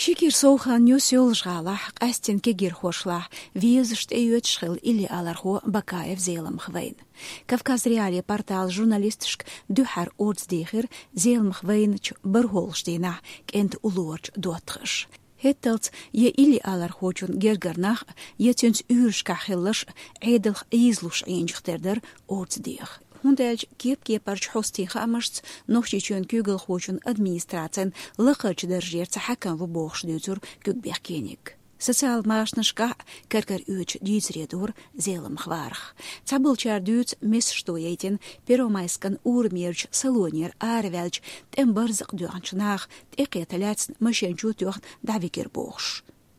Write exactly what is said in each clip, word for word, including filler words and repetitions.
Ши кӀира сов хан ю Соьлжа-ГӀалахь къаьстина кегийрхошлахь везаш тӀеоьцуш хилла иллиалархо Бакаев Зеламха вайна. Кавказ.Реалии порталан журналисташка дуьххьара орца дехира Зеламха вайначу бархӀалгӀачу дийнахь кӀентан уллорчу доттагӀаша. ХӀетталц я иллиалархочун гергара нах, я цуьнца уьйрашкахь хилларш Ӏедалх ийзалуш Ӏийначух тера дара орца деха. ХӀунда аьлча кеп-кепарчу хьостийн хаамашца Нохчийчоьнан куьйгалхочун администрацин лакхарчу даржера цхьа хьаькам ву бохуш дуьйцура куьг бехкениг. Социал машанашкахь кар-кара оьцуш дийцаре дора Зеламха варах. Цхьаболчара дуьйцу месашто яйтина Первомайскан урамерчу салонера араваьллачу тӀеман барзакъ доьхначу наха тӀекхета лаьцна машен чу тоьхна дӀавигира бохуш.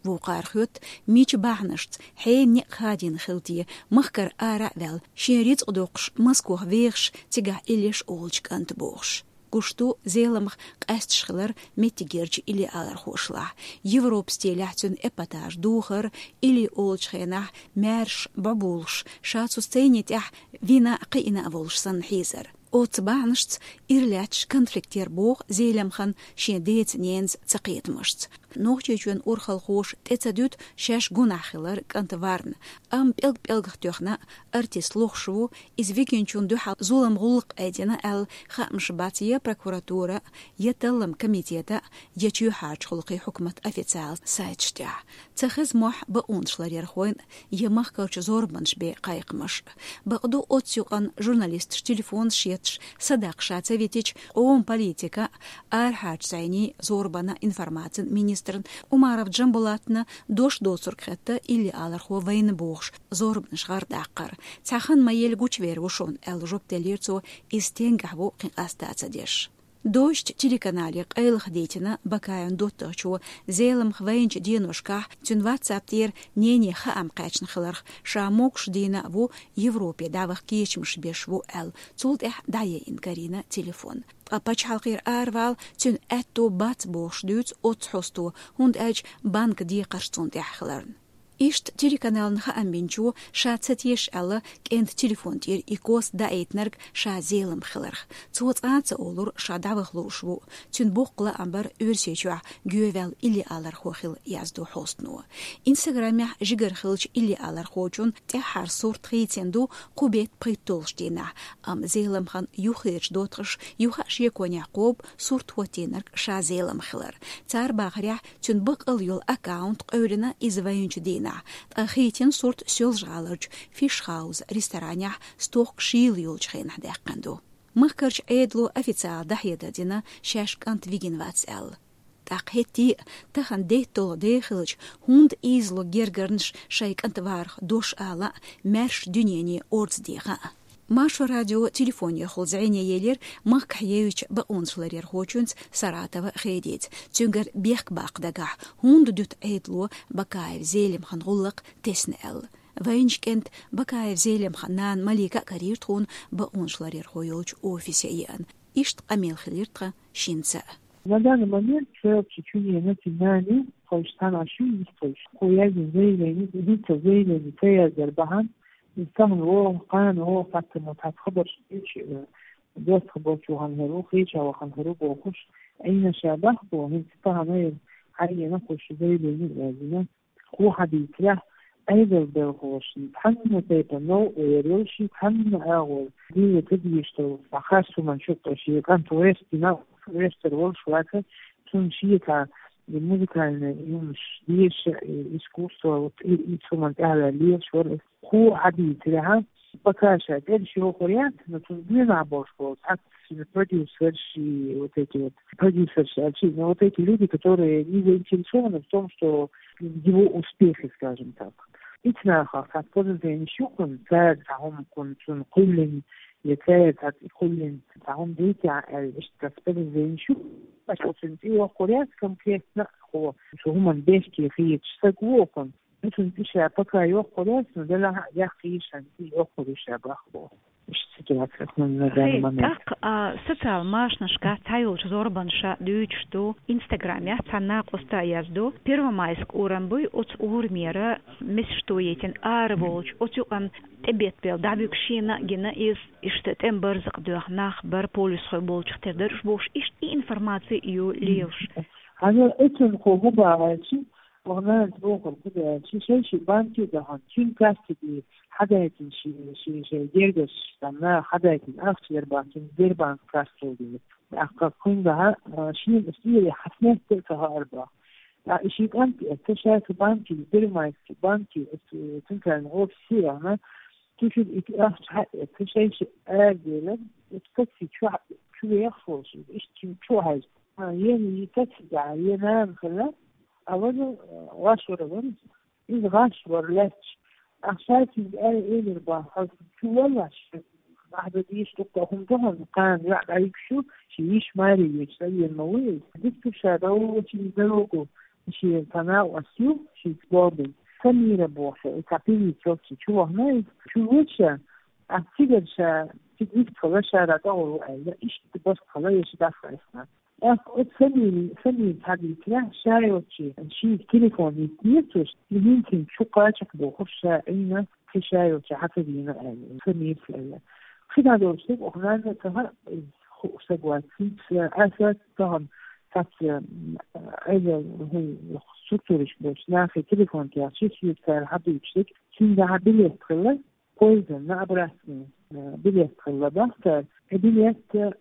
Вукхара хоьтту, мича бахьанашца, хьенан некъ хадийна хилла те, махкара ара а ваьлла, шен рицкъ доккхуш Москох вехаш, цигахь иллеш олучу кӀанта бохуш. Гуш ду Зеламха къаьсташ хилар меттигерчу иллиалархошлахь. Европа стилехь цуьнан эпатаж духар, илли олучу хенахь маьрша бӀобулуш, ша цу сцени тӀехь вина а, кхиъна а волуш санна хьийзар. Оццу бахьанашца ира лаьтташ конфликтера боху Зеламхана шен деца-ненаца ца кхетамашца. Нохчийчоьнан урхалхоша тӀе ца дуьту шаьш гунахь хилар кӀанта варна. Амма пӀелг-пӀелгах тоьхна артист лохуш ву, иза вигинчунна дуьхьал зулам-гӀуллакх айдина аьлла хаамаш бац я прокуратуран, я талламан комитетан, я чоьхьарчу гӀуллакхийн хьукматан официалан сайташ тӀехь. Ца хеза мохь бакъонашларъярхойн я махкарчу зорбанаш бен кхайкхамаш. Бакъду, оццу юкъанна журналисташ телефонаш етташ, садаккха ша ца витича, къоман политикан, арахьарчу зӀенийн, зорбанан, информацин министран Умаров Джамбулатна дош доцург хетта иллиалархо вайна бохуш, зорбанаш гӀардаккхар. Цхьа хан ма елла гучувер ву шуна, аьлла жоп деллера цо, иза стенгахь ву кхин къаста а ца деш. Дождь телеканале къайлаха дитина Бакаевн доттагӀчо Зеламха вайначу деношкахь цуьнан WhatsApp тӀера нене хаам кхаьчна хиларх, ша могуш дийна а ву, Европе дӀаваха кечамаш беш ву аьлла, цул тӀаьхьа дӀаяйина карийна телефон. Ткъа пачхьалкхера аравала цуьнан аьтто бац бохуш дуьйцу оццу хьосто, хӀунда аьлча банкан декхарш цунна тӀехь хиларна. Иштта телеканална хаам бинчо, ша ца теша аьлла, кӀентан телефон тӀера и кост даийтинарг ша Зеламха хиларх. Цо цкъа а ца олура, ша дӀаваха лууш ву. Цуьнан боккха лаам бара Оьрсийчохь гӀоьваьлла иллиалархо хилла, яздо хьостано. Инстаграмехь жигара хиллачу иллиалархочун тӀаьххьара сурт хийцина ду кху беттан пхийтталгӀачу дийнахь, амма Зеламхан юххерчу доттагӀаша юха а шеконехь кхобу сурт хӀоттийнарг ша Зеламха хилар. Цара бахарехь, цуьнан баккъалла йолу аккаунт къевлина иза вайначу дийнахь, ткъа хийцина сурт Соьлжа-ГӀаларчу Фиш Хаус ресторанехь стохка шийла йолчу хенахь даьккхина ду. Махкарчу Ӏедало официалан дӀахьедар дина, шаьш кӀант вигина вац аьлла. ТӀаккха хӀетте а тахана детталгӀа де хилча, хӀунда ийзало гергарнаш шайн кӀант варах дош ала а, маьрша дуьнене орца деха а? Маршо радион телефонехула зӀене елира махкахь евзачу бакъонашларъярхочуьнца Саратова Хедица, цуьнгара бехк баккха дагахь, хӀунда дуьту Ӏедало Бакаев Зелимхан гӀуллакх тесна аьлла. Вайначу кӀентан Бакаев Зелимхан нана Малика а карийра тхуна бакъонашларъярхо йолчу офисе еана. Иштта къамел хилира тхан шинца а. На данный момент цель Чечении национальный, то есть там ошибки, то есть хуязин заявление, единство заявление, ЦСР бахьан, из там его, кхана его, как-то, ну, так, хабар, э, доступ болчу хан хӀара, хийча вахан хӀара бохуш, айна ша бахбо, хӀинца тахана эр, хьайгена хуш заявление вязина. Кху хьадийцарехь, Ӏедал белхалошна цхьанна тайпа новкъа вер йолуш, цхьанна агӀор дийна ца дезаш долу, цхьа харц хӀуманна чу кхуьссуш, кӀант вестина, вестар волуш вац, цунна шен цхьа и музыкальный юмаш деша, и искусство, вот и, и цу хӀуманна тӀаьхьа лелаш вара. Кху хьадийцарехь, пока ша тӀе а йохур яц, но цунна доьнахь болуш болу, цхьацца шина продюсерш и вот эти вот, продюсерш аьлча, но вот эти люди, которые не заинтересованы в том, что его успехи, скажем так. Ицу нахах цхьацца подозрениш ю кхуьнан, цара цхьа хӀума кхуьнан, цунна кхоьллина, я цара цхьацца и кхоьллина цхьа хӀума дийцахь аьлла, иштта цхьацца подозрениш ю. Ткъа цунна тӀе йохур яц конкретно, хӀо, цу хӀуманна бехке хеташ стаг ву кхуьнан. Ишан иша пока йохур яц, но делахь а яккха ишан и йохур иша бахбо. Иштта ситуация кхуьнан на данный момент. ТӀаккха, а, социал машанашкахь цхьайолчу зорбанаш дуьйцуш ду, Инстаграмехь цхьана накъоста а яздо, Первомайск урам буй, оцу урамера месашто йитина ара волчу, оцу юкъанна тӀебеттабелла дӀабуьгуш шена а гина иза, иштта тӀеман барзакъ доьхна нах бара, полисхой болчух тера дара уьш бохуш, иштта и информаци ю лелаш. Хьажал, эцун хӀу хӀу баьлчи, вахнанца бохур хӀу баьлчи, шай ши банки дахьан, цуьнан касси хьадайтина ши, ши, шай гергаш санна, хьадайтина ахча яр бан, цуьнан Сбербанк касса дели. Ахка кхуьнгахьа, а, шийна сире хьаснетта ца хаар бан. А, и ши кӀант эцу шайца банки, Сбербанки, банки, э, центральный офис сирана, цу шуьга и ахча хьаэца, шай ши арадела, эцу такси чу хьа-, чу вехаш волуш, иштта чу, чу хьаьжна. А, ена и такси тӀехь, ена нана хила, а вара, э, ваш вара вара. Иза гӀаш вара лаьтташ. Ахьа шайцига аьлла элира бан, хьо чу валлаш, ахьа дан дийша дуккха хӀума ду хьуна, кхана йоӀ дӀайигаш ю, ши йиш маре вечу, ца вен ма ву иза. Дика ду ша, дӀа вочу иза дорогу, шен цхьа накъост ю, шен бобин. Самира боху, и цхьа певица йолчу чу вахана иза. Чу вуьйцу ша, ахьа цигара ша, цига вистхила ша дӀа тӀогӀур ву аьлла, иштта барт хила, я ша дӀахаийсина. ТӀаккха оцу Самирин, Самира цхьа дийцарехь, ша йолчу шийга телефон йиттинера цо, и хӀинца чу кхача бохуш ша Ӏийна, кхин ша йолчу хьан ца дийна аьлла, Самира аьлла. Кхин а долуш дерг оха нанна ца хаьа, хууш стаг вац. ХӀинца аса тахана цхьацца, м, Ӏедал, хӀун, структурашка болчу нахе телефон кхаьчча, шуьга цара хьадуьйцуш дерг, цуьнга хьан билет хилла, поездана обратно, э, билет хилла бах цара. И билет, э,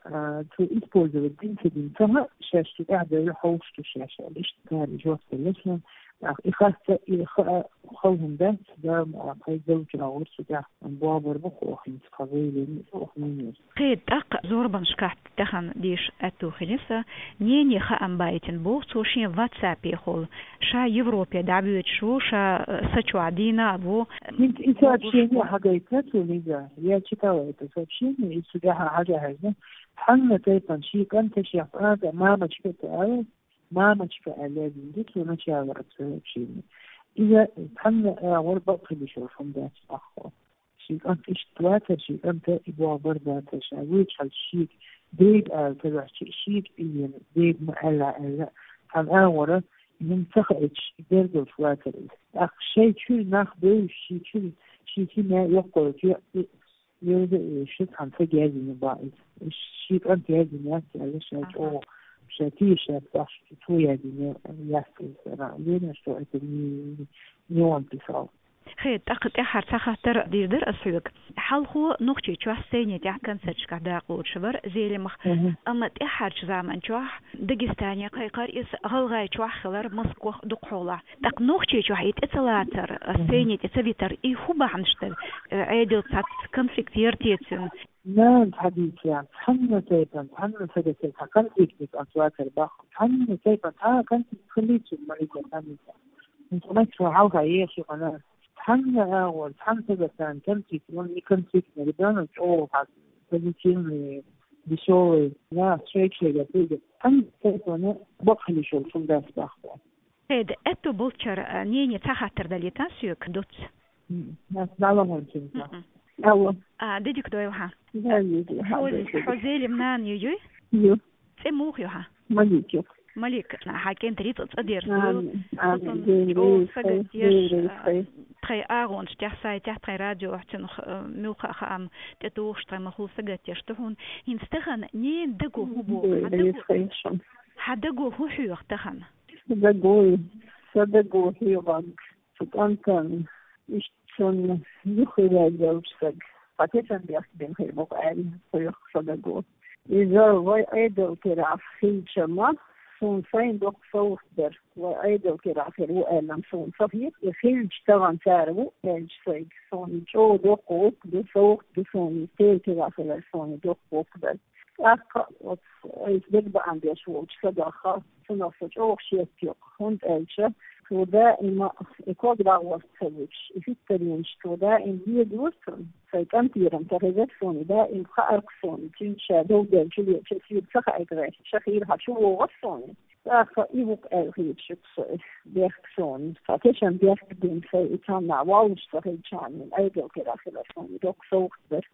цо использовать дина ца дина ца хаьа, шаьш цу тӀаьхьа девлла хьовш ду шаьш аьлла. Иштта цара жоп делла шуна. ТӀаккха и хац, и хаа хала хӀума дац, да, а, кхай галчу агӀор цу тӀехь бобар бу хӀокхуьнца, кхин заявлени а охьа мийна. Кхин тӀаккха зорбанашкахь тахана дийша аьтту хилира сан, нене хаам байтина боху цо шен ватсапехула. Ша Европе дӀавоьдуш ву, ша, э, са чохь дийна а ву. ХӀинца и сообщение хьагайтина цо, Лиза? Я читала это сообщение, и цу тӀехь хьажа хьаьжна. Цхьанна тайпана шен кӀанта шех цӀа а тӀе мамочка а ца аьлла, мамочка аьлла яздина ду цо начало это сообщение. Иза цхьанна агӀор бакъ хила йиш йолуш хӀума дац тӀаккха. Шен кӀант иштта вацара, шен кӀанта и боху бара бацара, ша вуьйцу хьал шега дега ала ца ваьхча, шега и вена дега ма аьлла аьлла, цхьана агӀора и хӀума ца хаийтуш, и бергалш вацара иза. ТӀаккха шайн чуьра нах бевзаш, шен чуьра, шен хи мел йоккхуьйту, и, и, и, и, шу цхьана ца герзина бан иза. Шен кӀант герзина яц аьлла, ша чӀогӀа, ша тешаш бахьаш, цо яздина яц иза, ана, лена, что это не, не он писал. Хе, тӀаккха тӀаьххьара цхьа хаттар дийр дара ас хьоьга. Хьалхо Нохчийчохь сцени тӀехь концерташкахь дакъа лоцуш вара Зелимха, амма тӀаьххьарчу заманчохь Дагестане кхайкхара иза, ГӀалгӀайчохь хилара, Москвахь дукха хьолахь. ТӀаккха Нохчийчохь и тӀе ца лацар, сцени тӀе ца витар, и хӀун бахьанаш дара? Ӏедал цхьацца конфликт яра те цуьнан? Нана, хьадийцарехь, цхьанна тайпана, цхьанна сагатера цхьа конфликтниг ас вацар бахху. Цхьанна тайпана цхьа конфликт хилийта ма витар цхьанна. ХӀинца мачхьа хьалха ехаш ю хьуна. Цхьанна агӀор, цхьанна сагатана конфликт, вон и конфликтный ребёнок чӀогӀа хьан позитивный, весёлый, нах шайга-шайга тӀе. Цхьанна тайпана бакъ хила йиш йолуш хӀума дац бахху. Хеда, аьтту болчара, а, нене цхьа хаттар далийта соьга, дуц? М, ас дала хӀунчунца. Мгм. Алло. А, дидик дойла хьан. Да, дидик, хьо, хьо Зелим нана ю, юй? Ю. ЦӀе муха ю хьан? Малик ю. Малик, хьан кӀентан рицкъ цӀа дерза. Амин, амин. Ден чӀогӀа рейс хай, сагатдеш, ден рейс а, хай. Тхайн агӀонаш тӀехь, сайтехь, тхайн радиохь цунах, а, муьлхха а хаам тӀетухуш, тхайн махула сагатдеш ду хьуна. ХӀинца тахана ненан даго хӀун боху? Ден рейс хай шун. Хьан даго хӀун хьоьху тахана? Дагой, сан даго хьоьхург, цу кӀантана иштта цунна юххе ваьлла йолчу сага, хьан тешан бехк бина хир бу-кх аьлла, хьоьху сан даго. Иза вай Ӏедал керахь хилча-м, суна сайна доккха совгӀат дара. Вай Ӏедал керахь хир ву аьлла-м суна ца хета, и хилча тахана цара ву аьлча сайга, суна и чӀогӀа доккха гӀуллакх ду, совгӀат ду суна, и Ӏедал керахь хилар суна доккха гӀуллакх дара. ТӀаккха оцу айса дегабаам беш волчу сагах, цунах со чӀогӀа шек йо, хӀунда аьлча цо даима и ког дӀагӀорта ца вуьтуш, и хӀуьттаренаш цо даим лелора цунна. Сайн кӀантера-м ца хезара суна, даим хаьара-кх суна, цуьнца ша дов делла чу леча, соьга ца хаьа-кх гӀерташ, ша хийра хьан чу вогӀура суна. ТӀаккха и ву-кх аьлла хеташ ю-кх со, бехк суна. Цхьа тешан бехк бина сайн и цхьаннахь воллуш ца хилчахьана, Ӏедал керахь хилар суна доккха совгӀат дара.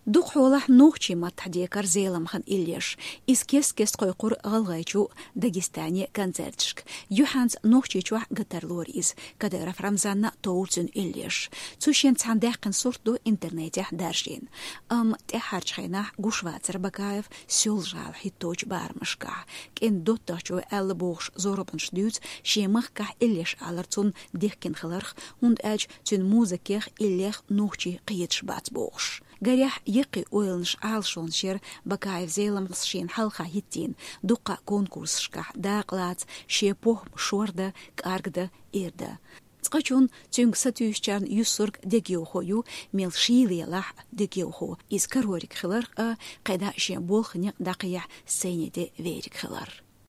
Дукха хьолахь нохчийн маттахь декхар Зеламхана иллеш. Иза кест-кеста кхойкхура ГӀалгӀайчу, Дагестане концерташка. Юьхьанца Нохчийчохь гатарлора иза. Кадыров Рамзана товра цуьнан иллеш. Цу шен цхьана даьккхина сурт ду интернетехь даржийна. Амма тӀаьххьарчу хенахь гуш вацара Бакаев Соьлжа-ГӀала хӀитточу барамашкахь. КӀентан доттагӀчо аьлла бохуш зорбанаш дуьйцу шен махкахь иллеш алар цунна дихкина хиларх, хӀунда аьлча цуьнан музыкех, иллех нохчий кхеташ бац бохуш. Гарехь, яккхий ойланаш Ӏалашонаш яра Бакаев Зеламхас шена хьалха хӀиттийна, дуккха конкурсашкахь дакъа лаца, шен похӀма шордан, кӀаргдан, ирдан. Цкъачунна цуьнга сатуьйсучарна юьссург дегайовхо ю, мел шийла елахь а дегайовхо. Иза карориг хиларх а, кхидӀа шен болх, некъ дӀакхехьа сцене тӀе вериг хилар.